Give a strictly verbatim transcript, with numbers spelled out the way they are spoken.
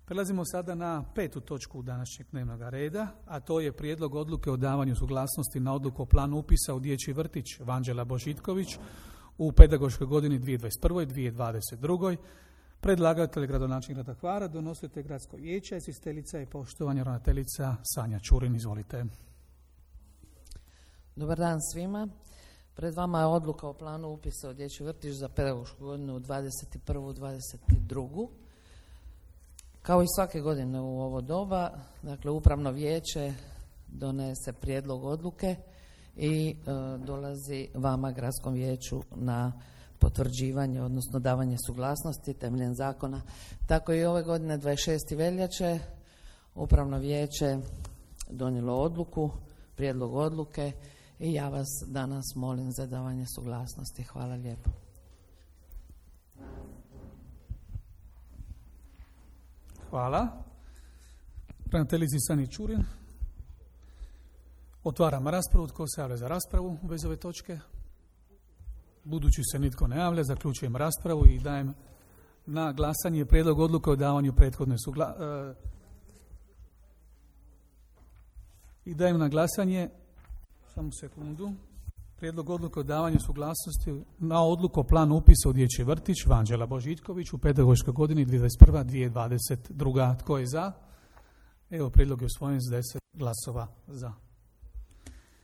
Prelazimo sada na petu točku današnjeg dnevnog reda, a to je prijedlog odluke o davanju suglasnosti na odluku o planu upisa u dječji vrtić Vanđela Božitković u pedagoškoj godini dvije tisuće dvadeset prve. dvije tisuće dvadeset druge. Predlagatelj gradonačelnik grada Hvara, donositelj gradskog vijeća, izvjestiteljica i poštovana ravnateljica Sanja Čurin. Izvolite. Dobar dan svima. Pred vama je odluka o planu upisa u dječji vrtić za pedagošku godinu dvadeset prvu. dvadeset drugu. Kao i svake godine u ovo doba, dakle upravno vijeće donese prijedlog odluke i e, dolazi vama gradskom vijeću na potvrđivanje, odnosno davanje suglasnosti temeljem zakona. Tako i ove godine dvadeset šestog veljače upravno vijeće donijelo odluku, prijedlog odluke i ja vas danas molim za davanje suglasnosti. Hvala lijepo. Hvala. Ravnateljici Sani Čurin. Otvaram raspravu. Tko se javlja za raspravu u vezi ove točke? Budući se nitko ne javlja, zaključujem raspravu i dajem na glasanje prijedlog odluke o davanju prethodne suglasnosti. I dajem na glasanje, samo sekundu, prijedlog odluke o davanju suglasnosti na odluku o planu upisa u dječji vrtić Vanđela Božitković u pedagoškoj godini dvije tisuće dvadeset prva. dvije tisuće dvadeset druga. Tko je za? Evo, prijedlog je usvojen s deset glasova za.